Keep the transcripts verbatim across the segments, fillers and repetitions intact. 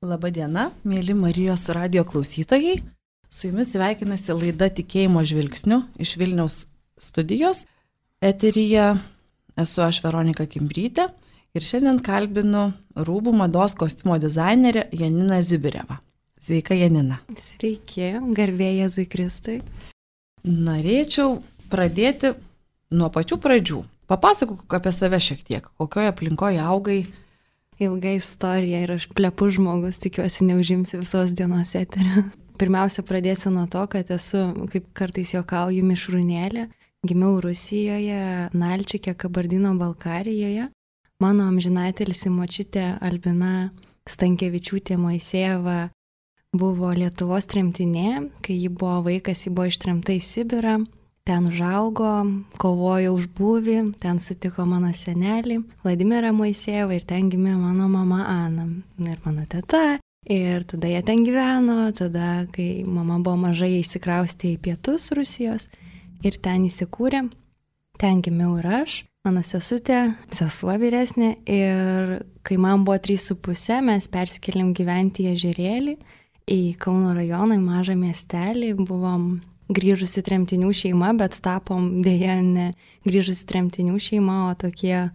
Labadiena, mėly Marijos radijo klausytojai. Su jumis sveikinasi laida Tikėjimo žvilgsniu iš Vilniaus studijos. Eteryje esu aš Veronika Kimbrytė ir šiandien kalbinu rūbų mados kostiumo dizainerę Janiną Zibirevą. Sveika, Janina. Sveiki, garbė Jėzui Kristui. Norėčiau pradėti nuo pačių pradžių. Papasakok apie save šiek tiek, kokioje aplinkoje augai. Ilga istorija ir aš plepu žmogus, tikiuosi neužimsi visos dienos eterio. Pirmiausia, pradėsiu nuo to, kad esu, kaip kartais juokauju, mišrūnėlė. Gimiau Rusijoje, Nalčike, Kabardino-Balkarijoje. Mano amžinatelis močiutė Albina Stankevičiūtė Moisejeva buvo Lietuvos tremtinė. Kai ji buvo vaikas, ji buvo ištremta į Sibirą. Ten užaugo, kovojo už būvį, ten sutiko mano senelį Vladimirą Moisejevą ir ten gimė mano mama Ana ir mano teta. Ir tada jie ten gyveno, tada, kai mama buvo maža, jie įsikraustė į pietus Rusijos ir ten įsikūrė. Ten gimiau ir aš, mano sesutė, sesuo vyresnė, ir kai man buvo trys su puse, mes persikėlėm gyventi į Ežerėlį, į Kauno rajoną, į mažą miestelį, buvom grįžusi tremtinių šeima, bet tapom dėja ne grįžusi tremtinių šeima, o tokie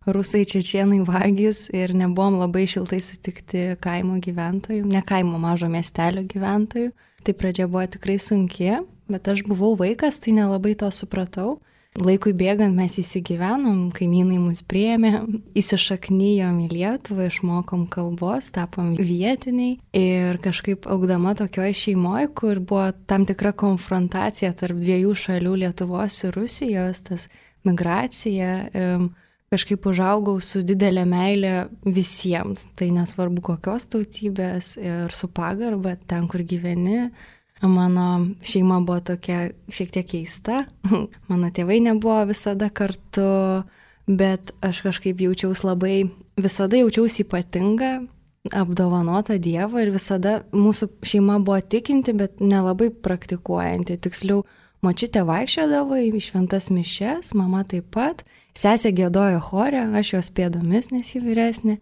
rusai, čečėnai, vagys ir nebuvom labai šiltai sutikti kaimo gyventojų, ne kaimo, mažo miestelio gyventojų. Tai pradžia buvo tikrai sunki, bet aš buvau vaikas, tai nelabai to supratau. Laikui bėgant mes įsigyvenom, kaimynai mus priėmė, įsišaknyjom į Lietuvą, išmokom kalbos, tapom vietiniai ir kažkaip augdama tokioj šeimoje, kur buvo tam tikra konfrontacija tarp dviejų šalių, Lietuvos ir Rusijos, tas migracija, kažkaip užaugau su didelė meilė visiems, tai nesvarbu kokios tautybės ir su pagarba ten, kur gyveni. Mano šeima buvo tokia šiek tiek keista, mano tėvai nebuvo visada kartu, bet aš kažkaip jaučiausi labai, visada jaučiausi ypatinga, apdovanota Dievo ir visada mūsų šeima buvo tikinti, bet nelabai praktikuojanti. Tiksliau, močiutė vaikščiodavo į šventas mišias, mama taip pat, sesė giedojo chore, aš jos pėdomis, nes ji vyresnė,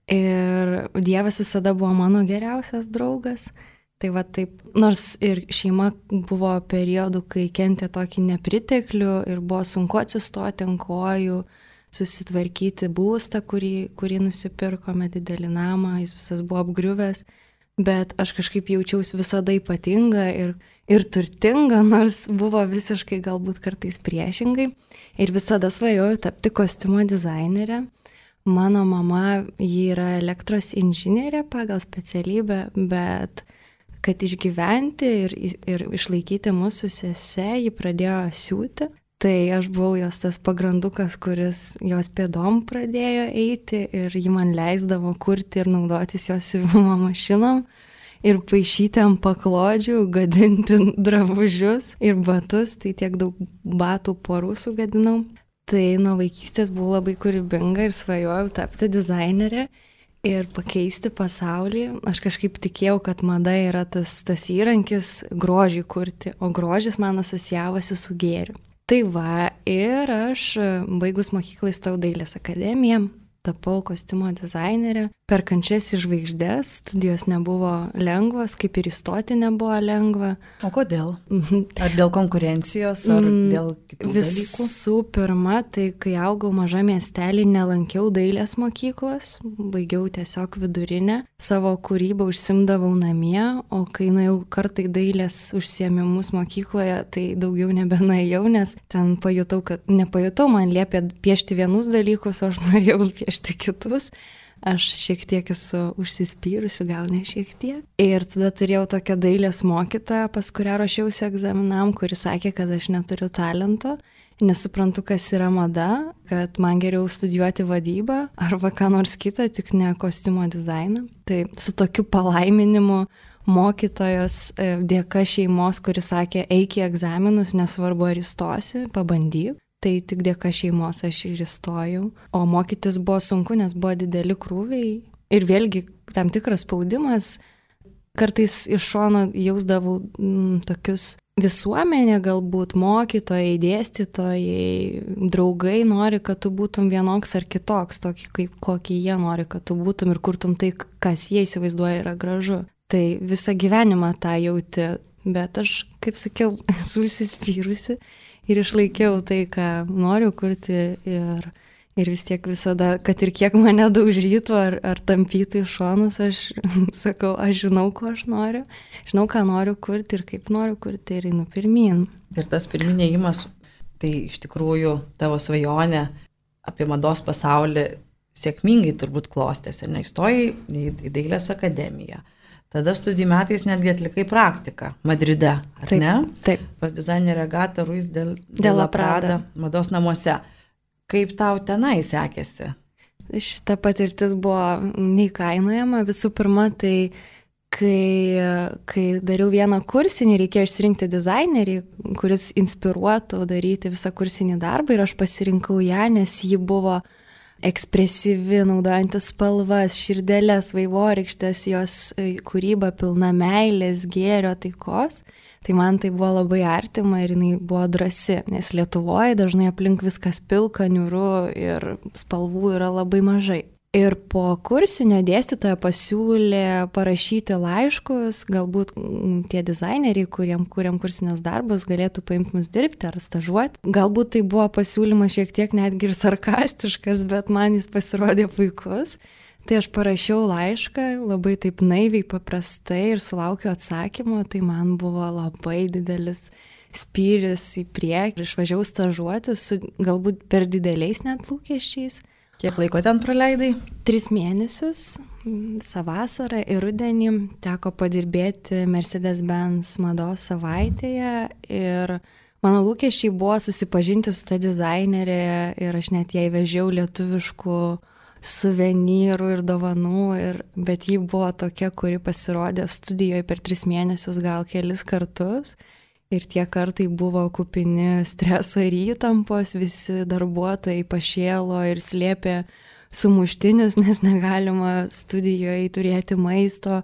ir Dievas visada buvo mano geriausias draugas. Tai va taip, nors ir šeima buvo periodų, kai kentė tokį nepriteklių ir buvo sunku atsistoti ant kojų, susitvarkyti būstą, kurį, kurį nusipirkome, didelį namą, jis visas buvo apgriuvęs, bet aš kažkaip jaučiausi visada ypatinga ir, ir turtinga, nors buvo visiškai galbūt kartais priešingai. Ir visada svajojau tapti kostiumo dizainerė. Mano mama, ji yra elektros inžinierė pagal specialybę, bet kad išgyventi ir, ir išlaikyti mūsų sese, ji pradėjo siūti. Tai aš buvau jos tas pagrandukas, kuris jos pėdom pradėjo eiti ir ji man leisdavo kurti ir naudotis jos siuvimo mašinom ir paišyti ant paklodžių, gadinti drabužius ir batus, tai tiek daug batų porų sugadinau. Tai nuo vaikystės buvau labai kūrybinga ir svajojau tapti dizainerė ir pakeisti pasaulį. Aš kažkaip tikėjau, kad mada yra tas, tas įrankis grožį kurti, o grožis man asocijavosi su gėriu. Tai va, ir aš baigus mokyklą įstojau Dailės akademiją, tapau kostiumo dizainerė. Per kančias į žvaigždes studijos nebuvo lengvos, kaip ir įstoti nebuvo lengva. O kodėl? Ar dėl konkurencijos, ar dėl kitų dalykų? Visų pirma, tai kai augau maža miestelį, nelankiau dailės mokyklos, baigiau tiesiog vidurinę, savo kūrybą užsimdavau namie, o kai nuėjau kartą į dailės užsiėmimus mokykloje, tai daugiau nebenuėjau, nes ten pajutau, kad nepajutau, man liepė piešti vienus dalykus, o aš norėjau piešti kitus. Aš šiek tiek esu užsispyrusi, gal ne šiek tiek. Ir tada turėjau tokią dailės mokytoją, pas kurią ruošiausi egzaminam, kuri sakė, kad aš neturiu talento, nesuprantu, kas yra mada, kad man geriau studijuoti vadybą arba ką nors kitą, tik ne kostiumo dizainą. Tai su tokiu palaiminimu mokytojos dėka šeimos, kuri sakė, eik į egzaminus, nesvarbu ar įstosi, pabandyk. Tai tik dėka šeimos aš ir įstojau. O mokytis buvo sunku, nes buvo dideli krūviai. Ir vėlgi tam tikras spaudimas. Kartais iš šono jausdavau mm, tokius visuomenė, galbūt mokytojai, dėstytojai, draugai nori, kad tu būtum vienoks ar kitoks, tokį, kaip kokį jie nori, kad tu būtum ir kurtum tai, kas jie įsivaizduoja yra gražu. Tai visą gyvenimą tą jauti, bet aš, kaip sakiau, esu įsispyrusi ir išlaikiau tai, ką noriu kurti ir Ir vis tiek visada, kad ir kiek mane daužytų ar, ar tampytų į šonus, aš sakau, aš žinau, ko aš noriu, žinau, ką noriu kurti ir kaip noriu kurti ir einu pirmyn. Ir tas pirminėjimas, tai iš tikrųjų tavo svajonė apie mados pasaulį sėkmingai turbūt klostėsi, neįstojai į, į Dailės akademiją. Tada studijų metais netgi atlikai praktiką Madride, ar taip, ne? Taip. Pas dizainerę Agatą Ruiz de, de la Prada mados namuose. Kaip tau tenai sekėsi? Šita patirtis buvo neįkainojama. Visų pirma, tai kai, kai dariau vieną kursinį, reikėjo išsirinkti dizainerį, kuris inspiruotų daryti visą kursinį darbą ir aš pasirinkau ją, nes ji buvo ekspresyvi, naudojantis spalvas, širdelės, vaivorykštės, jos kūryba pilna meilės, gėrio, taikos. Tai man tai buvo labai artima ir jinai buvo drąsi, nes Lietuvoje dažnai aplink viskas pilka, niūru ir spalvų yra labai mažai. Ir po kursinio dėstytoja pasiūlė parašyti laiškus, galbūt tie dizaineriai, kuriem kuriam kursinius darbus, galėtų paimti mus dirbti ar stažuoti. Galbūt tai buvo pasiūlymas šiek tiek netgi ir sarkastiškas, bet man jis pasirodė puikus. Tai aš parašiau laišką, labai taip naiviai, paprastai ir sulaukiau atsakymo, tai man buvo labai didelis spyris į priekį. Išvažiavau stažuoti su galbūt per dideliais net lūkesčiais. Kiek laiko ten praleidai? Tris mėnesius, visą vasarą ir rudenį teko padirbėti Mercedes-Benz mados savaitėje ir mano lūkesčiai buvo susipažinti su ta dizainerė ir aš net jai vežiau lietuviškų suvenyrų ir dovanų, ir, bet ji buvo tokia, kuri pasirodė studijoje per tris mėnesius gal kelis kartus ir tie kartai buvo kupini streso ir įtampos, visi darbuotojai pašėlo ir slėpė sumuštinius, nes negalima studijoje turėti maisto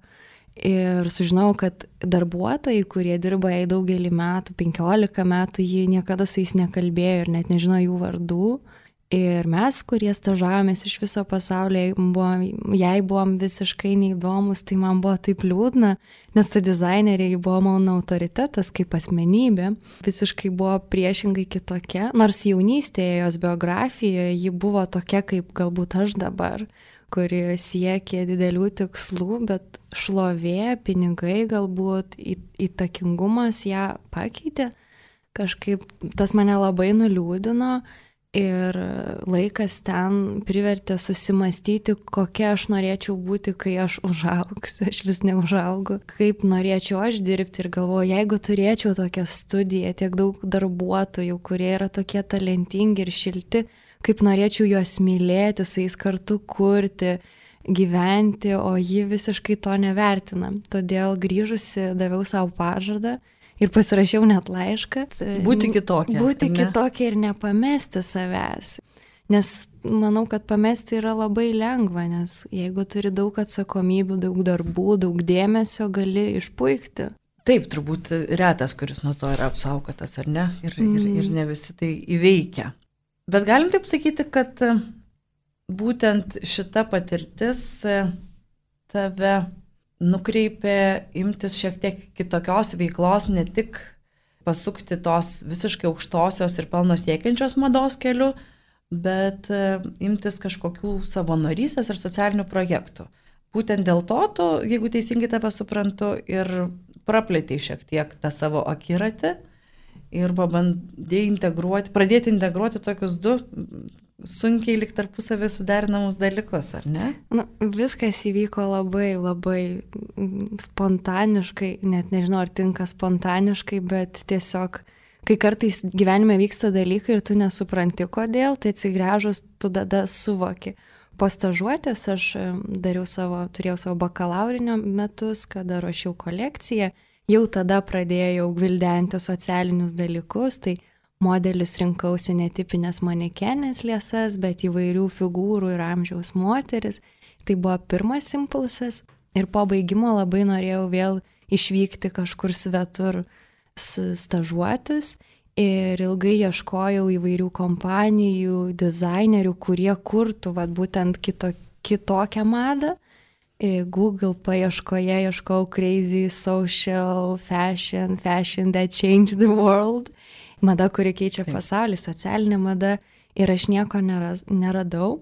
ir sužinau, kad darbuotojai, kurie dirba jai daugelį metų, penkiolika metų, ji niekada su jais nekalbėjo ir net nežino jų vardų. Ir mes, kurie stažavomės iš viso pasaulio, buvom, jai buvom visiškai neįdomus, tai man buvo taip liūdna, nes ta dizainerė buvo mano autoritetas kaip asmenybė, visiškai buvo priešingai kitokia, nors jaunystėje jos biografijoje ji buvo tokia kaip galbūt aš dabar, kuri siekė didelių tikslų, bet šlovė, pinigai galbūt, įtakingumas ją pakeitė, kažkaip tas mane labai nuliūdino. Ir laikas ten privertė susimastyti, kokia aš norėčiau būti, kai aš užaugsiu, aš vis neužaugu, kaip norėčiau aš dirbti ir galvoju, jeigu turėčiau tokią studiją, tiek daug darbuotojų, kurie yra tokie talentingi ir šilti, kaip norėčiau juos mylėti, su jais kartu kurti, gyventi, o ji visiškai to nevertina. Todėl grįžusi daviau savo pažadą. Ir pasirašiau net laišką. Būti kitokia. Būti kitokia ir nepamesti savęs. Nes manau, kad pamesti yra labai lengva, nes jeigu turi daug atsakomybių, daug darbų, daug dėmesio, gali išpuikti. Taip, turbūt retas, kuris nuo to yra apsaugotas, ar ne? Ir, mm. ir, ir ne visi tai įveikia. Bet galim taip sakyti, kad būtent šita patirtis tave nukreipė imtis šiek tiek kitokios veiklos, ne tik pasukti tos visiškai aukštosios ir pelno siekiančios mados keliu, bet imtis kažkokių savanorystės ir socialinių projektų. Būtent dėl to tu, jeigu teisingai tave suprantu, ir praplėtei šiek tiek tą savo akiratį ir pabandėjai integruoti, pradėti integruoti tokius du sunkiai lyg tarpusavį suderinamus dalykus, ar ne? Nu, viskas įvyko labai, labai spontaniškai, net nežinau, ar tinka spontaniškai, bet tiesiog, kai kartais gyvenime vyksta dalykai ir tu nesupranti kodėl, tai atsigręžus tu tada suvoki. Po stažuotės aš dariau savo, turėjau savo bakalaurinio metus, kada ruošiau kolekciją, jau tada pradėjau gvildenti socialinius dalykus, tai modelis rinkausi netipinės manekenės liesas, bet įvairių figūrų ir amžiaus moteris. Tai buvo pirmas impulsas ir po baigimo labai norėjau vėl išvykti kažkur svetur stažuotis ir ilgai ieškojau įvairių kompanijų, dizainerių, kurie kurtų vat, būtent kito, kitokią madą. Google paieškoje ieškau crazy social fashion, fashion that changed the world. Mada, kuri keičia pasaulį, socialinė mada. Ir aš nieko neras, neradau.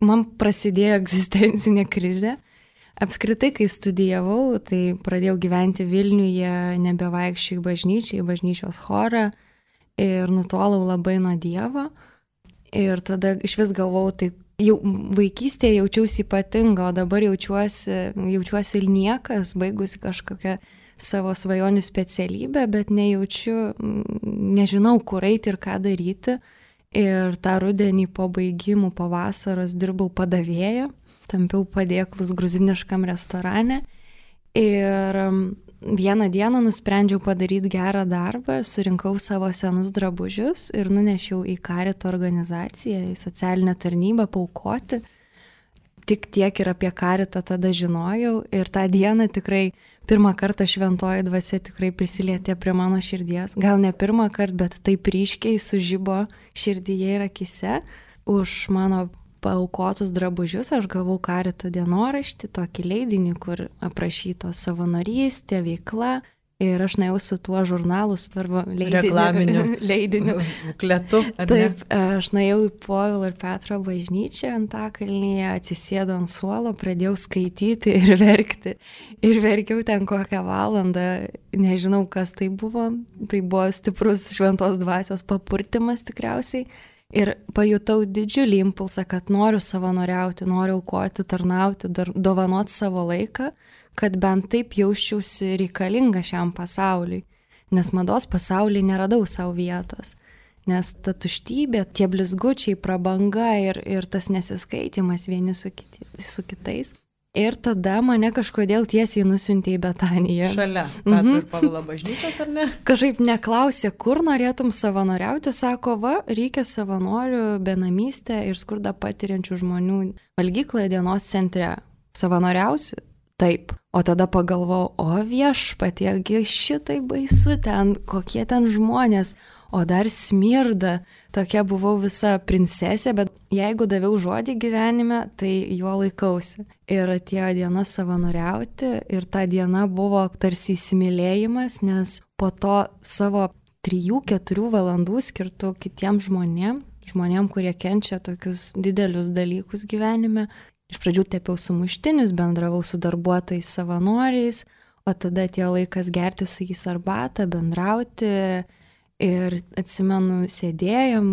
Man prasidėjo egzistencinė krizė. Apskritai, kai studijavau, tai pradėjau gyventi Vilniuje, nebevaikščiau į bažnyčią, į bažnyčios chorą ir nutolau labai nuo Dievo. Ir tada iš vis galvau, tai jau vaikystėje jaučiausi ypatinga, o dabar jaučiuosi, jaučiuosi ir niekas, baigusi kažkokią savo svajonių specialybę, bet nejaučiu, nežinau, kur eiti ir ką daryti. Ir tą rudenį po baigimų, po vasaros dirbau padavėją, tampiau padėklus gruziniškam restorane. Ir vieną dieną nusprendžiau padaryti gerą darbą, surinkau savo senus drabužius ir nunešiau į Karito organizaciją, į socialinę tarnybą paaukoti. Tik tiek ir apie Karitą tada žinojau ir tą dieną tikrai pirmą kartą šventoji dvasia tikrai prisilietė prie mano širdies. Gal ne pirmą kartą, bet taip ryškiai sužibo širdyje ir akise. Už mano paaukotus drabužius aš gavau Karito dienoraštį, tokį leidinį, kur aprašytos savanorystė, veikla. Ir aš nuėjau su tuo žurnalu, su darbo leidiniu. Reklaminiu leidiniu. Kletu. Taip, aš nuėjau į Povilo ir Petro bažnyčią Antakalnyje, atsisėdau ant suolo, pradėjau skaityti ir verkti. Ir verkiau ten kokią valandą, nežinau, kas tai buvo. Tai buvo stiprus šventos dvasios papurtimas tikriausiai. Ir pajutau didžiulį impulsą, kad noriu savanoriauti, noriu aukoti, tarnauti, dar dovanoti savo laiką, kad bent taip jausčiausi reikalinga šiam pasauliui. Nes mados pasaulyje neradau savo vietos. Nes ta tuštybė, tie blizgučiai, prabanga ir, ir tas nesiskaitimas vieni su, kiti, su kitais. Ir tada mane kažkodėl tiesiai nusiuntė į Betaniją. Šalia Petro mhm. ir Povilo bažnyčios, ar ne? Kažkaip neklausė, kur norėtum savanoriauti, sako, va, reikia savanorių benamystę ir skurdą patiriančių žmonių valgykloje dienos centre. Savanoriausi? Taip. O tada pagalvojau, o viešpatie, šitai baisu ten, kokie ten žmonės, o dar smirda. Tokia buvau visa princesė, bet jeigu daviau žodį gyvenime, tai juo laikausi. Ir atėjo diena savanoriauti ir ta diena buvo tarsi įsimylėjimas, nes po to savo trijų keturių valandų skirtų kitiems žmonėm, žmonėm, kurie kenčia tokius didelius dalykus gyvenime. Iš pradžių tepiau sumuštinius, bendravau su darbuotojais savanoriais, o tada atėjo laikas gerti su jais arbatą, bendrauti. Ir atsimenu, sėdėjom,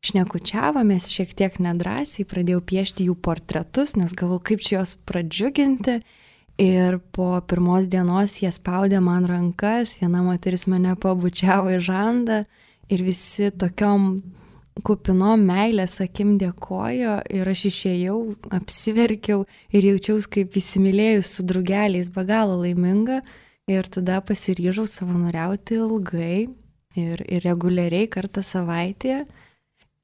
šnekučiavomės šiek tiek nedrąsiai, pradėjau piešti jų portretus, nes galvojau, kaip čia juos pradžiuginti. Ir po pirmos dienos jie spaudė man rankas, viena moteris mane pabučiavo į žandą ir visi tokiom kupinom meilės akim dėkojo ir aš išėjau, apsiverkiau ir jaučiaus kaip įsimylėjus su drugeliais, be galo laiminga. Ir tada pasiryžau savanoriauti ilgai. Ir, ir reguliariai kartą savaitėje.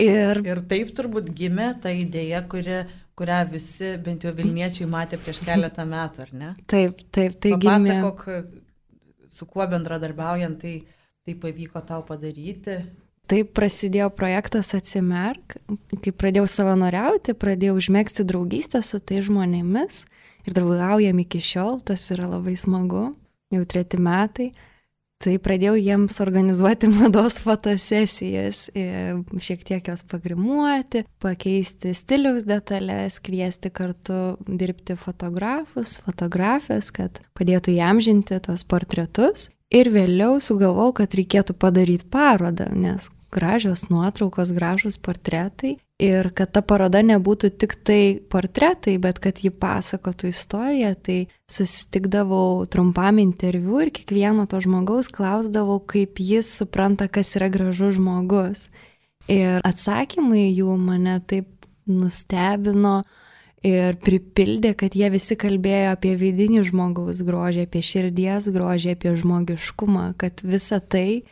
Ir, ir taip turbūt gimė ta idėja, kuri, kurią visi, bent jau Vilniečiai, matė prieš keletą metų, ar ne? Taip, taip, tai gimė. Papasakok, su kuo bendradarbiaujant, tai, tai pavyko tau padaryti. Taip prasidėjo projektas Atsimerk. Kai pradėjau savanoriauti, pradėjau užmegzti draugystę su tai žmonėmis. Ir draugaujam iki šiol, tas yra labai smagu, jau treti metai. Tai pradėjau jiems organizuoti mados fotosesijas, šiek tiek jos pagrimuoti, pakeisti stiliaus detalės, kviesti kartu dirbti fotografus, fotografės, kad padėtų įamžinti tos portretus. Ir vėliau sugalvojau, kad reikėtų padaryti parodą, nes gražios nuotraukos, gražus portretai. Ir kad ta paroda nebūtų tik tai portretai, bet kad ji pasakotų istoriją, tai susitikdavau trumpam interviu ir kiekvieno to žmogaus klausdavau, kaip jis supranta, kas yra gražus žmogus. Ir atsakymai jų mane taip nustebino ir pripildė, kad jie visi kalbėjo apie vidinį žmogaus grožį, apie širdies grožį, apie žmogiškumą, kad visa tai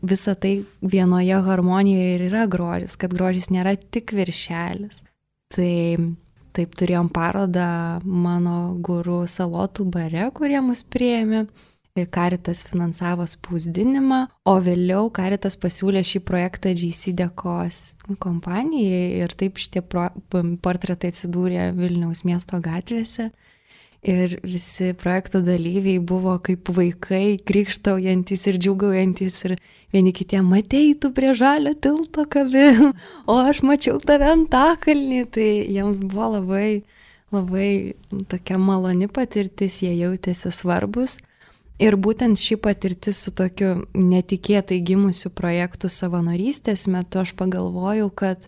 Visa tai vienoje harmonijoje ir yra grožis, kad grožis nėra tik viršelis. Tai taip turėjom parodą mano guru Salotų bare, kurie mus priėmė. Caritas finansavo spausdinimą, o vėliau Caritas pasiūlė šį projektą J C Dekos kompanijai ir taip šitie pro, portretai atsidūrė Vilniaus miesto gatvėse. Ir visi projekto dalyviai buvo kaip vaikai, krikštaujantis ir džiūgaujantis ir vieni kitiem, matei, tu prie žalio tilto kabi, o aš mačiau tave Antakalnį. Tai jiems buvo labai, labai tokia maloni patirtis, jie jautėsi svarbus. Ir būtent ši patirtis su tokiu netikėtai gimusiu projektu savanorystės metu aš pagalvojau, kad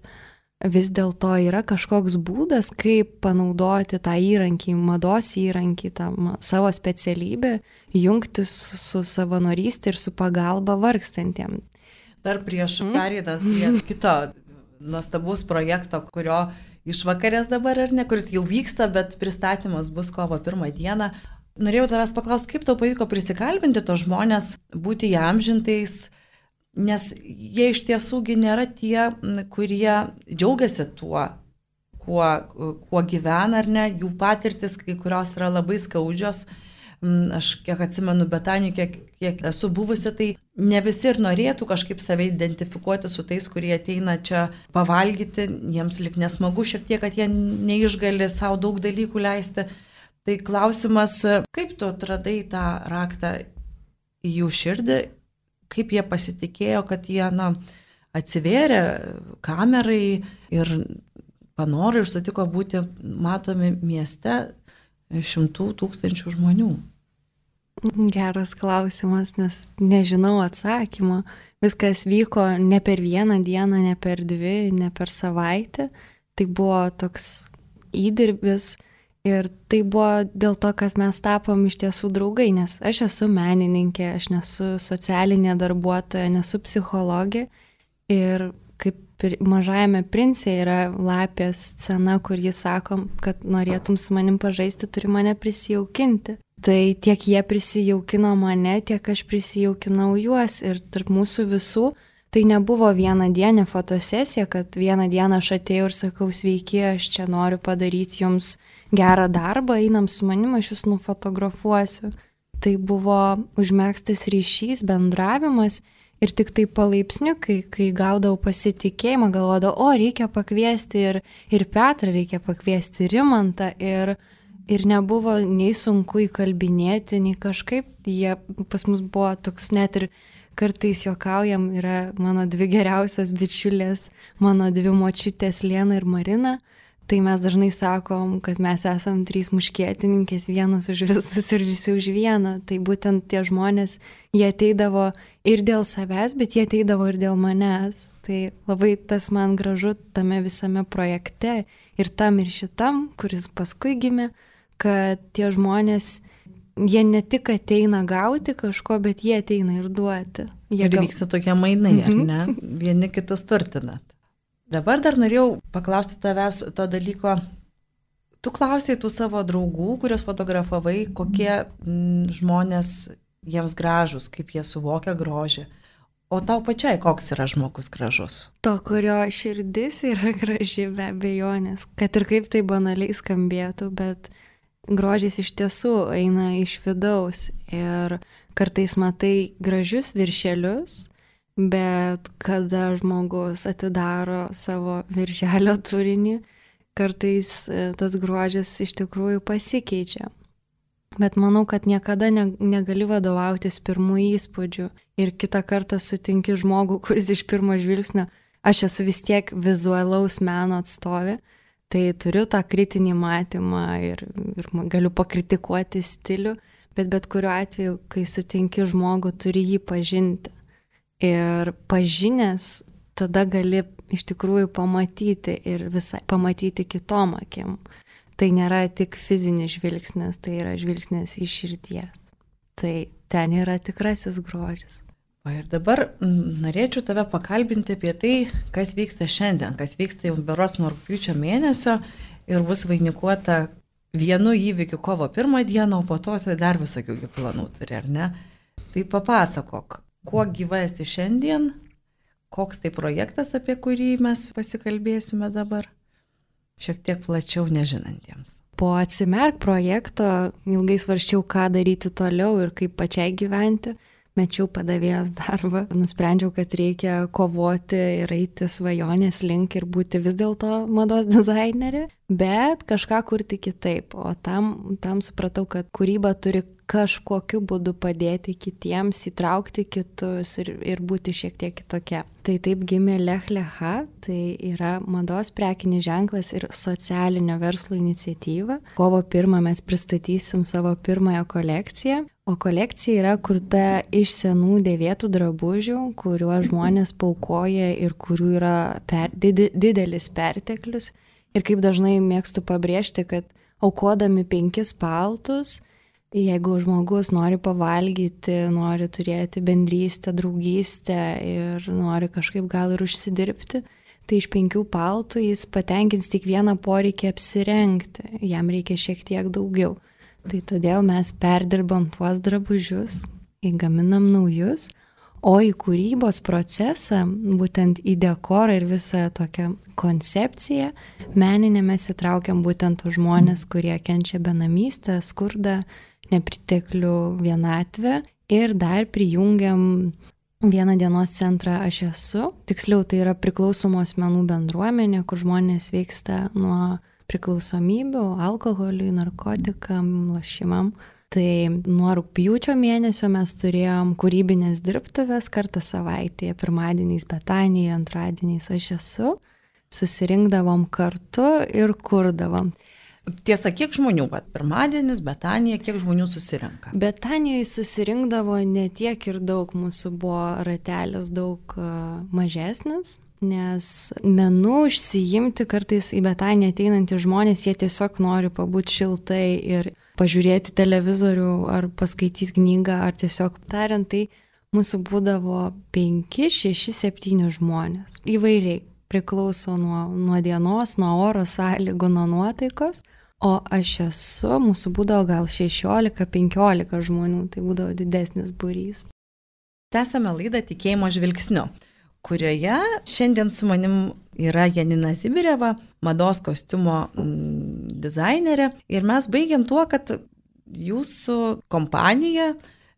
vis dėlto yra kažkoks būdas, kaip panaudoti tą įrankį, mados įrankį, tą savo specialybę, jungtis su, su savanorystė ir su pagalba vargstantiem. Dar prieš Caritas, prie kito nuostabaus projekto, kurio išvakarės dabar ar ne, kuris jau vyksta, bet pristatymas bus kovo pirmą dieną. Norėjau tavęs paklausti, kaip tau pavyko prisikalbinti tos žmonės, būti įamžintais, nes jie iš tiesųgi nėra tie, kurie džiaugiasi tuo, kuo, kuo gyvena ar ne, jų patirtis, kai kurios yra labai skaudžios. Aš kiek atsimenu Betanijų, kiek, kiek esu buvusi, tai ne visi ir norėtų kažkaip save identifikuoti su tais, kurie ateina čia pavalgyti, jiems lik nesmagu šiek tiek, kad jie neišgali savo daug dalykų leisti. Tai klausimas, kaip tu atradai tą raktą į jų širdį, kaip jie pasitikėjo, kad jie na, atsivėrė kamerai ir panoro ir sutiko būti matomi mieste šimtų tūkstančių žmonių? Geras klausimas, nes nežinau atsakymą. Viskas vyko ne per vieną dieną, ne per dvi, ne per savaitę. Tai buvo toks įdirbis. Ir tai buvo dėl to, kad mes tapom iš tiesų draugai, nes aš esu menininkė, aš nesu socialinė darbuotoja, nesu psichologė. Ir kaip Mažajame prince yra lapės scena, kur jis sako, kad norėtum su manim pažaisti, turi mane prisijaukinti. Tai tiek jie prisijaukino mane, tiek aš prisijaukinau juos. Ir tarp mūsų visų tai nebuvo vienadienė fotosesija, kad vieną dieną aš atėjau ir sakau, sveiki, aš čia noriu padaryti jums gerą darbą, einam su manim, aš jūs nufotografuosiu. Tai buvo užmegztas ryšys, bendravimas ir tik tai palaipsniui, kai, kai gaudavau pasitikėjimą, galvodavau, o reikia pakviesti ir, ir Petrą, reikia pakviesti Rimantą ir, ir nebuvo nei sunku įkalbinėti, nei kažkaip, jie pas mus buvo toks net ir kartais juokaujam, yra mano dvi geriausios bičiulės, mano dvi močiutės Lena ir Marina. Tai mes dažnai sakom, kad mes esam trys muškietininkės, vienas už visus ir visi už vieną. Tai būtent tie žmonės, jie ateidavo ir dėl savęs, bet jie ateidavo ir dėl manęs. Tai labai tas man gražu tame visame projekte ir tam ir šitam, kuris paskui gimė, kad tie žmonės, jie ne tik ateina gauti kažko, bet jie ateina ir duoti. Jie ir gal... vyksta tokie mainai, ar ne? Vieni kitus turtinat. Dabar dar norėjau paklausti tavęs to dalyko. Tu klausai tų savo draugų, kurios fotografavai, kokie m, žmonės jiems gražus, kaip jie suvokia grožį. O tau pačiai koks yra žmogus gražus? To, kurio širdis yra graži, be abejonės. Kad ir kaip tai banaliai skambėtų, bet grožis iš tiesų eina iš vidaus. Ir kartais matai gražius viršelius, bet kada žmogus atidaro savo viršelio turinį, kartais tas grožis iš tikrųjų pasikeičia. Bet manau, kad niekada ne, negali vadovautis pirmų įspūdžių. Ir kitą kartą sutinki žmogų, kuris iš pirmo žvilgsnio, aš esu vis tiek vizualaus meno atstovė, tai turiu tą kritinį matymą ir, ir galiu pakritikuoti stilių, bet bet kuriuo atveju, kai sutinki žmogų, turi jį pažinti. Ir pažinęs, tada gali iš tikrųjų pamatyti ir visai pamatyti kitom akim. Tai nėra tik fizinis žvilgsnis, tai yra žvilgsnis iš širdies. Tai ten yra tikrasis grožis. O ir dabar m, norėčiau tave pakalbinti apie tai, kas vyksta šiandien, kas vyksta jau beros nuo rugpjūčio mėnesio ir bus vainikuota vienu įvykiu kovo pirmą dieną, o po to tai dar visokių planų turi, ar ne? Tai papasakok. Kuo gyva esi šiandien, koks tai projektas, apie kurį mes pasikalbėsime dabar, šiek tiek plačiau nežinantiems. Po Atsimerk projekto ilgai svarsčiau, ką daryti toliau ir kaip pačiai gyventi. Mečiau padavėjos darbą, nusprendžiau, kad reikia kovoti ir eiti svajonės link ir būti vis dėlto mados dizainerė, bet kažką kurti kitaip. O tam, tam supratau, kad kūryba turi kažkokiu būdu padėti kitiems, įtraukti kitus ir, ir būti šiek tiek kitokia. Tai taip gimė Lech Lecha, tai yra mados prekinis ženklas ir socialinio verslo iniciatyva. Kovo pirmą mes pristatysim savo pirmąją kolekciją. O kolekcija yra kurta iš senų dėvėtų drabužių, kuriuos žmonės paukoja ir kurių yra per, did, didelis perteklius. Ir kaip dažnai mėgstu pabrėžti, kad aukodami penkis paltus, jeigu žmogus nori pavalgyti, nori turėti bendrystę, draugystę ir nori kažkaip gal ir užsidirbti, tai iš penkių paltų jis patenkins tik vieną poreikį apsirengti, jam reikia šiek tiek daugiau. Tai todėl mes perdirbam tuos drabužius, įgaminam naujus, o į kūrybos procesą, būtent į dekorą ir visą tokią koncepciją, meninę mes įtraukiam būtent tos žmonės, kurie kenčia benamystę, skurdą, nepriteklių, vienatvę ir dar prijungiam vieną dienos centrą Aš esu. Tiksliau, tai yra priklausomų asmenų bendruomenė, kur žmonės sveiksta nuo priklausomybių, alkoholiui, narkotikam, lašimam. Tai nuo rugpjūčio mėnesio mes turėjom kūrybinės dirbtuvės kartą savaitėje, pirmadieniais Betanijoje, antradieniais Aš esu. Susirinkdavom kartu ir kurdavom. Tiesa, kiek žmonių, bet pirmadienis, Betanija, kiek žmonių susirenka? Betanijoje susirinkdavo ne tiek ir daug, mūsų buvo ratelis daug uh, mažesnis. Nes menu užsiimti kartais į Betaniją ateinantys žmonės, jie tiesiog nori pabūti šiltai ir pažiūrėti televizorių ar paskaityti knygą, ar tiesiog tariant, tai mūsų būdavo penki, šeši, septyni žmonės. Įvairiai, priklauso nuo, nuo dienos, nuo oro sąlygų, nuo nuotaikos. O Aš esu, mūsų būdavo gal šešiolika, penkiolika žmonių, tai būdavo didesnis būrys. Tęsame laidą Tikėjimo žvilgsniu, kurioje šiandien su manim yra Janina Zibireva, mados kostiumo mm, dizainerė. Ir mes baigiam tuo, kad jūsų kompanija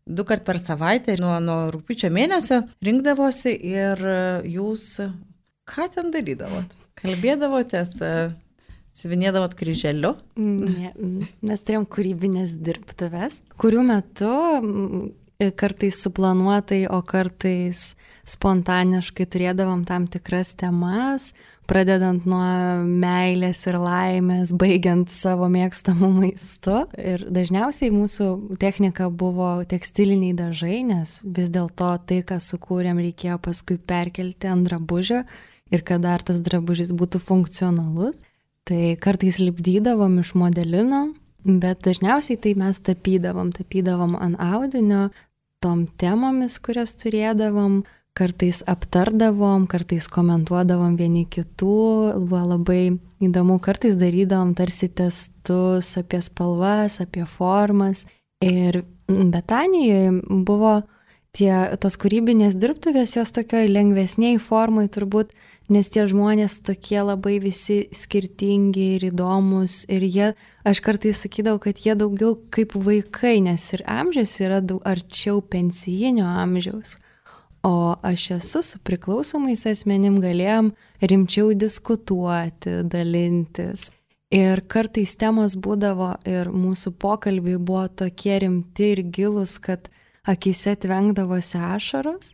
du kart per savaitę nuo, nuo rugpjūčio mėnesio rinkdavosi ir jūs ką ten darydavot? Kalbėdavotės, siuvinėdavot kryželiu? Ne, mes turėjom kūrybinės dirbtuves, kurių metu kartais suplanuotai, o kartais spontaniškai turėdavom tam tikras temas, pradedant nuo meilės ir laimės, baigiant savo mėgstamų maistu. Ir dažniausiai mūsų technika buvo tekstiliniai dažai, nes vis dėlto tai, ką sukūrėm, reikėjo paskui perkelti ant drabužio ir kad dar tas drabužis būtų funkcionalus. Tai kartais lipdydavom iš modelino, bet dažniausiai tai mes tapydavom, tapydavom ant audinio, tom temomis, kurias turėdavom, kartais aptardavom, kartais komentuodavom vieni kitų, buvo labai įdomu, kartais darydavom tarsi testus apie spalvas, apie formas. Ir Betanijoje buvo tie, tos kūrybinės dirbtuvės, jos tokioj lengvesniai formai turbūt, nes tie žmonės tokie labai visi skirtingi ir įdomus ir jie, aš kartais sakydavau, kad jie daugiau kaip vaikai, nes ir amžius yra daug arčiau pensijinio amžiaus. O Aš esu su priklausomais asmenim galėjom rimčiau diskutuoti, dalintis. Ir kartais temos būdavo ir mūsų pokalbiai buvo tokie rimti ir gilus, kad akise tvengdavosi ašaros.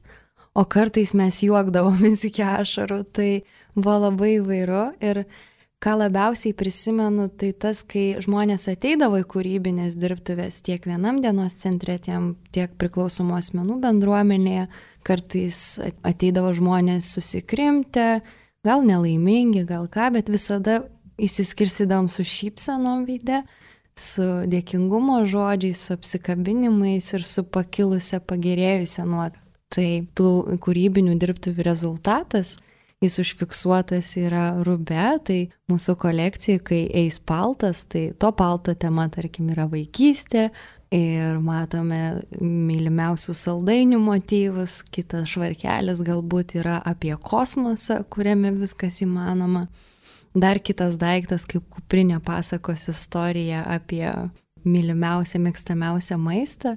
O kartais mes juokdavomės iki ašarų, tai buvo labai įvairu ir ką labiausiai prisimenu, tai tas, kai žmonės ateidavo į kūrybinės dirbtuvės tiek vienam dienos centre, tiek priklausomų asmenų bendruomenėje, kartais ateidavo žmonės susikrimtę, gal nelaimingi, gal ką, bet visada įsiskirsidavom su šypsenom veide, su dėkingumo žodžiais, su apsikabinimais ir su pakilusią, pagerėjusią nuotaiką. Tai tų kūrybinių dirbtuvių rezultatas, jis užfiksuotas yra rube, tai mūsų kolekcijai, kai eis paltas, tai to palto tema, tarkim, yra vaikystė ir matome mylimiausių saldainių motyvus, kitas švarkelis galbūt yra apie kosmosą, kuriame viskas įmanoma. Dar kitas daiktas, kaip kuprinė pasakos istorija apie mylimiausią, mėgstamiausią maistą,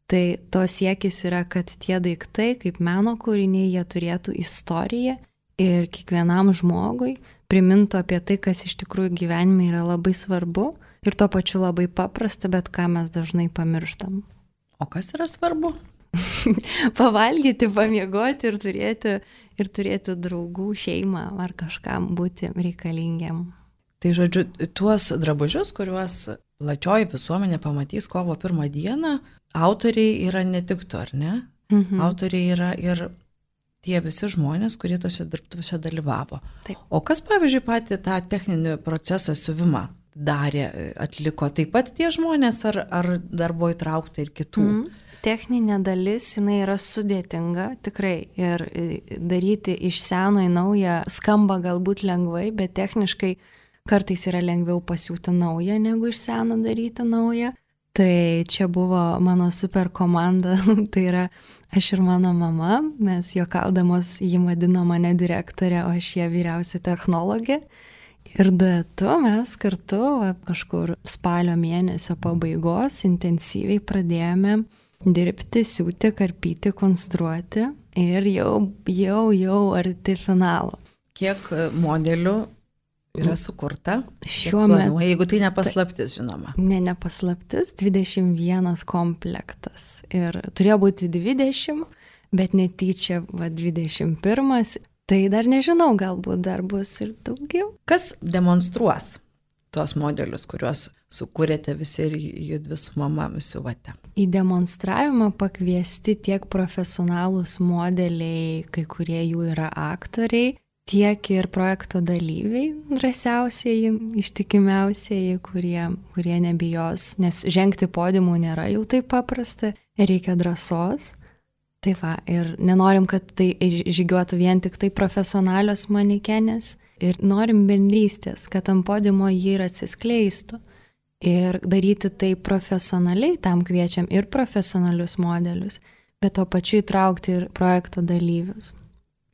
tai to siekis yra, kad tie daiktai, kaip meno kūriniai, jie turėtų istoriją ir kiekvienam žmogui primintų apie tai, kas iš tikrųjų gyvenime yra labai svarbu ir tuo pačiu labai paprasta, bet ką mes dažnai pamirštam. O kas yra svarbu? Pavalgyti, pamiegoti ir turėti, ir turėti draugų, šeimą ar kažkam būti reikalingiam. Tai žodžiu, tuos drabužius, kuriuos plačioji visuomenė pamatys kovo pirmą dieną, autoriai yra ne tik tu, ar ne? Mhm. Autoriai yra ir tie visi žmonės, kurie tose dirbtuvėse dalyvavo. Taip. O kas, pavyzdžiui, patį tą techninį procesą siuvimą darė, atliko taip pat tie žmonės, ar, ar dar buvo įtraukta ir kitų? Mhm. Techninė dalis, jinai yra sudėtinga, tikrai, ir daryti iš seno į naują skamba galbūt lengvai, bet techniškai kartais yra lengviau pasiūti naują, negu iš seno daryti naują. Tai čia buvo mano super komanda, tai yra aš ir mano mama, mes juokaudamos jį vadino mane direktorė, o aš ją vyriausia technologė. Ir duetu mes kartu va, kažkur spalio mėnesio pabaigos intensyviai pradėjome dirbti, siūti, karpyti, konstruoti ir jau, jau, jau arti finalo. Kiek modelių yra sukurta? Šiuo metu. Jeigu tai nepaslaptis, žinoma. Ne, nepaslaptis, dvidešimt vienas komplektas. Ir turėjo būti dvidešimt, bet netyčia va, dvidešimt pirmas. Tai dar nežinau, galbūt dar bus ir daugiau. Kas demonstruos tuos modelius, kuriuos sukūrėte visi ir judvi su mama siuvate? Į demonstravimą pakviesti tiek profesionalūs modeliai, kai kurie jų yra aktoriai, tiek ir projekto dalyviai, drąsiausieji, ištikimiausieji, kurie, kurie nebijos, nes žengti podiumų nėra jau taip paprasta, reikia drąsos. Tai va, ir nenorim, kad tai žygiuotų vien tik tai profesionalios manekenės ir norim bendrystės, kad ant podiumo jį ir atsiskleistų. Ir daryti tai profesionaliai, tam kviečiam ir profesionalius modelius, bet to pačiu įtraukti ir projekto dalyvius.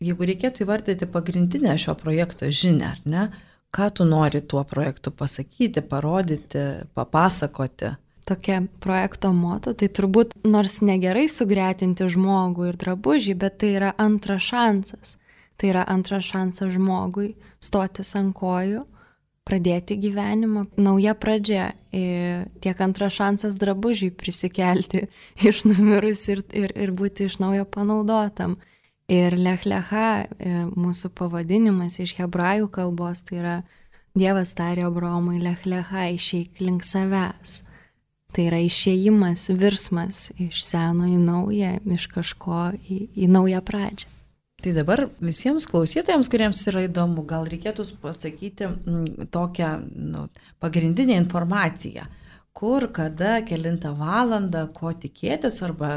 Jeigu reikėtų įvardyti pagrindinę šio projekto žinią, ar ne, ką tu nori tuo projektu pasakyti, parodyti, papasakoti? Tokia projekto moto, tai turbūt nors negerai sugretinti žmogų ir drabužį, bet tai yra antras šansas. Tai yra antras šansas žmogui stotis ant kojų, pradėti gyvenimą, nauja pradžia, tiek antras šansas drabužiui prisikelti iš numirus ir, ir, ir būti iš naujo panaudotam. Ir Lech Lecha, mūsų pavadinimas iš hebrajų kalbos, tai yra Dievas tarė Abraomui, Lech Lecha, išeik link savęs. Tai yra išėjimas, virsmas iš seno į naują, iš kažko į, į naują pradžią. Tai dabar visiems klausytojams, kuriems yra įdomu, gal reikėtų pasakyti m, tokią nu, pagrindinę informaciją, kur, kada, kelintą valandą, ko tikėtis arba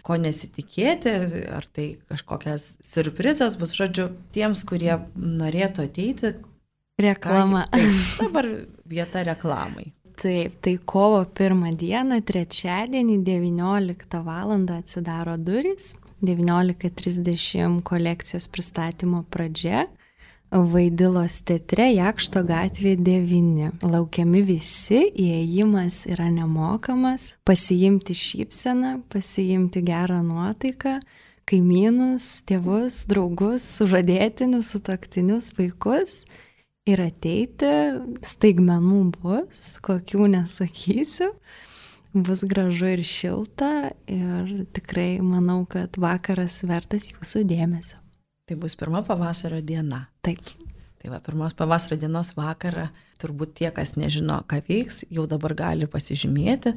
ko nesitikėti, ar tai kažkokias siurprizas bus, žodžiu, tiems, kurie norėtų ateiti. Reklama. Ką, tai, dabar vieta reklamai. Taip, tai kovo pirmą dieną, trečiadienį, devynioliktą valandą atsidaro durys, devyniolika trisdešimt kolekcijos pristatymo pradžia, Vaidilos teatre, Jakšto gatvė devyni. Laukiami visi, įėjimas yra nemokamas, pasiimti šypseną, pasiimti gerą nuotaiką, kaimynus, tėvus, draugus, sužadėtinius, sutuoktinius, vaikus. Ir ateiti, staigmenų bus, kokių nesakysiu, bus gražu ir šilta ir tikrai manau, kad vakaras vertas jūsų dėmesio. Tai bus pirma pavasario diena. Taip. Tai va, pirmos pavasario dienos vakarą, turbūt tie, kas nežino, ką veiks, jau dabar gali pasižymėti,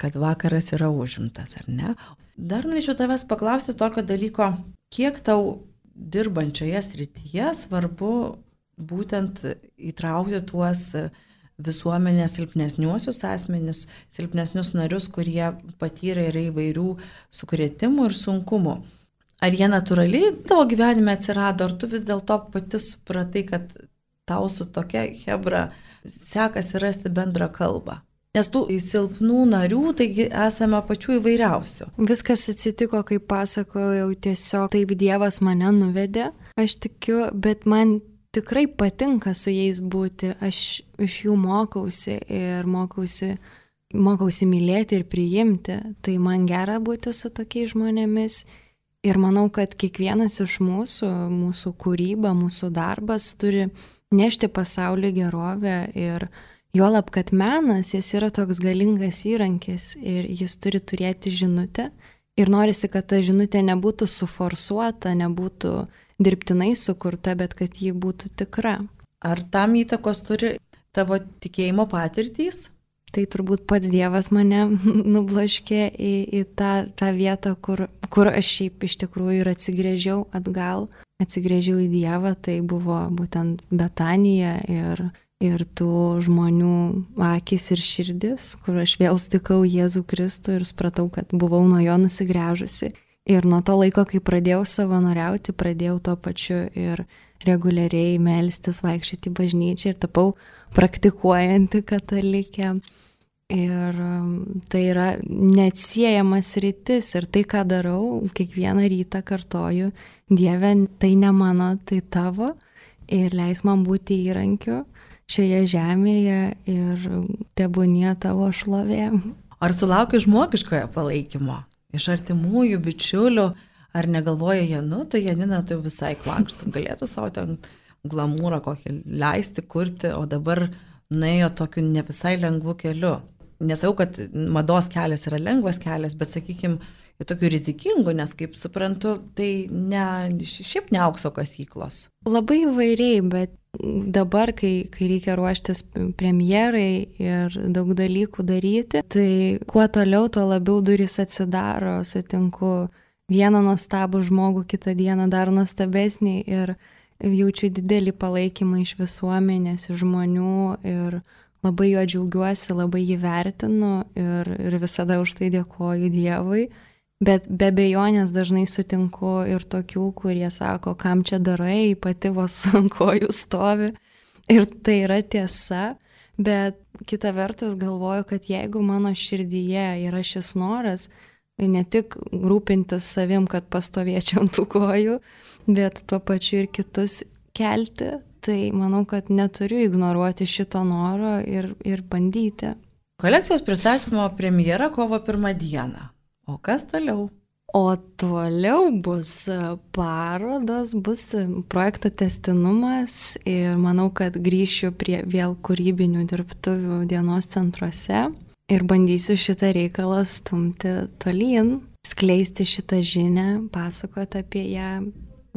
kad vakaras yra užimtas, ar ne? Dar norėčiau tavęs paklausti tokio dalyko, kiek tau dirbančioje srityje svarbu būtent įtraukti tuos visuomenės silpnesniuosius asmenis, silpnesnius narius, kurie patyrė yra įvairių sukrėtimų ir sunkumų. Ar jie natūraliai tavo gyvenime atsirado, ar tu vis dėlto pati supratai, kad tau su tokia hebra sekasi rasti bendrą kalbą? Nes tų silpnų narių, taigi esame pačių įvairiausių. Viskas atsitiko, kaip pasakojau, tiesiog taip Dievas mane nuvedė, aš tikiu, bet man tikrai patinka su jais būti, aš iš jų mokausi ir mokausi, mokausi mylėti ir priimti, tai man gera būti su tokiais žmonėmis ir manau, kad kiekvienas iš mūsų, mūsų kūryba, mūsų darbas turi nešti pasaulį gerovę ir juolab, kad menas, jis yra toks galingas įrankis ir jis turi turėti žinutę ir norisi, kad ta žinutė nebūtų suforsuota, nebūtų dirbtinai sukurta, bet kad ji būtų tikra. Ar tam įtakos turi tavo tikėjimo patirtys? Tai turbūt pats Dievas mane nublaškė į, į tą, tą vietą, kur, kur aš šiaip iš tikrųjų ir atsigrėžiau atgal, atsigrėžiau į Dievą, tai buvo būtent Betanija ir, ir tų žmonių akis ir širdis, kur aš vėl sutikau Jėzų Kristų ir supratau, kad buvau nuo jo nusigręžusi. Ir nuo to laiko, kai pradėjau savanoriauti, pradėjau tuo pačiu ir reguliariai melstis, vaikščioti į bažnyčią ir tapau praktikuojanti katalikė. Ir tai yra neatsiejamas rytis ir tai, ką darau, kiekvieną rytą kartoju, Dieve, tai ne mano, tai tavo ir leis man būti įrankiu šioje žemėje ir tebūnie tavo šlovė. Ar sulauki žmogiškojo palaikymo iš artimųjų, bičiulių, ar negalvoja jie, nu, tai Janina tai visai klankštų, galėtų savo ten glamūrą kokį leisti, kurti, o dabar nuėjo tokiu ne visai lengvu keliu. Nesakau, kad mados kelias yra lengvas kelias, bet, sakykime, tokių rizikingų, nes, kaip suprantu, tai ne, šiaip ne aukso kasyklos. Labai įvairiai, bet dabar, kai, kai reikia ruoštis premjerai ir daug dalykų daryti, tai kuo toliau, tuo labiau durys atsidaro, sutinku vieną nuostabų žmogų, kitą dieną dar nuostabesnį ir jaučiu didelį palaikymą iš visuomenės, iš žmonių ir labai juo džiaugiuosi, labai jį vertinu ir, ir visada už tai dėkoju Dievui. Bet be abejonės dažnai sutinku ir tokių, kurie sako, kam čia darai, pati vos ant kojų stovi. Ir tai yra tiesa, bet kita vertus galvoju, kad jeigu mano širdyje yra šis noras, ne tik rūpintis savim, kad pastovėčiau ant tų kojų, bet tuo pačiu ir kitus kelti, tai manau, kad neturiu ignoruoti šito noro ir, ir bandyti. Kolekcijos pristatymo premjera kovo pirmą dieną. O kas toliau? O toliau bus parodos, bus projekto tęstinumas ir manau, kad grįšiu prie vėl kūrybinių dirbtuvių dienos centruose ir bandysiu šitą reikalą stumti tolyn, skleisti šitą žinią, pasakoti apie ją.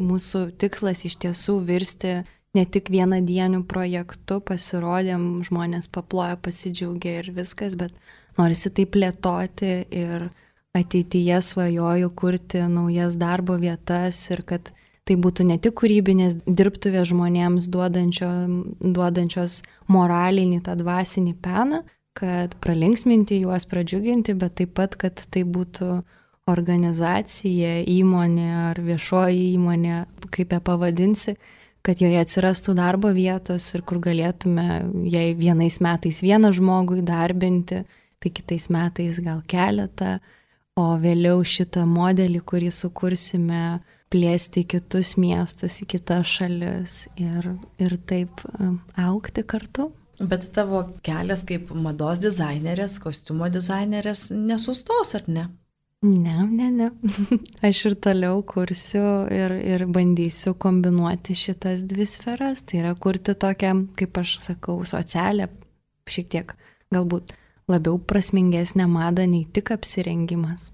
Mūsų tikslas iš tiesų virsti ne tik vienadienių projektų, pasirodėm, žmonės paploja, pasidžiaugia ir viskas, bet norisi tai plėtoti ir ateityje svajoju kurti naujas darbo vietas ir kad tai būtų ne tik kūrybinės dirbtuvės žmonėms duodančio, duodančios moralinį tą dvasinį peną, kad pralinksminti juos, pradžiuginti, bet taip pat, kad tai būtų organizacija, įmonė ar viešoji įmonė, kaip ją pavadinsi, kad joje atsirastų darbo vietos ir kur galėtume, jei vienais metais vieną žmogų įdarbinti, tai kitais metais gal keletą, o vėliau šitą modelį, kurį sukursime, plėsti į kitus miestus, į kitas šalis ir, ir taip augti kartu. Bet tavo kelias kaip mados dizainerės, kostiumo dizainerės nesustos, ar ne? Ne, ne, ne. Aš ir toliau kursiu ir, ir bandysiu kombinuoti šitas dvi sferas. Tai yra kurti tokią, kaip aš sakau, socialią, šiek tiek galbūt labiau prasmingesnę madą nei tik apsirengimas.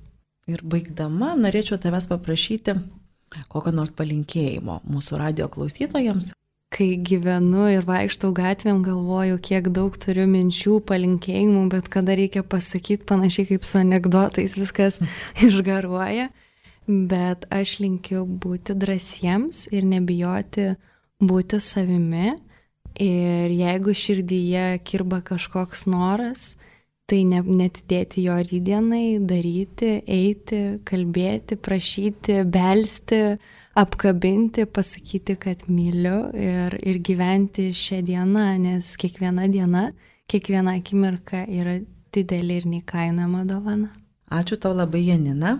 Ir baigdama, norėčiau tavęs paprašyti kokio nors palinkėjimo mūsų radijo klausytojams. Kai gyvenu ir vaikštau gatvėm, galvoju, kiek daug turiu minčių, palinkėjimų, bet kada reikia pasakyti, panašiai kaip su anekdotais, viskas išgaruoja. Bet aš linkiu būti drąsiems ir nebijoti būti savimi. Ir jeigu širdyje kirba kažkoks noras, tai ne, netidėti jo rytdienai, daryti, eiti, kalbėti, prašyti, belsti, apkabinti, pasakyti, kad myliu ir, ir gyventi šią dieną, nes kiekviena diena, kiekviena akimirka yra didelė ir neįkainojama dovana. Ačiū tau labai, Janina.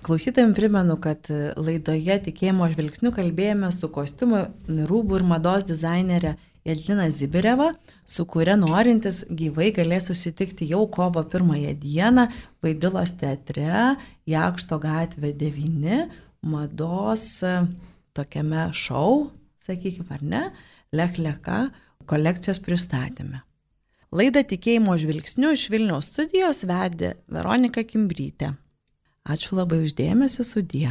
Klausytojams primenu, kad laidoje Tikėjimo žvilgsniu kalbėjome su kostiumų, rūbų ir mados dizainerė Jadlina Zibireva, su kuria norintis gyvai galės susitikti jau kovo pirmąją dieną Vaidilos teatre, Jakšto gatvė devyni, mados tokiame šou, sakykime, ar ne, Lech-Leka kolekcijos pristatyme. Laidą Tikėjimo žvilgsniu iš Vilniaus studijos vedė Veronika Kimbrytė. Ačiū labai uždėmesi, sudie.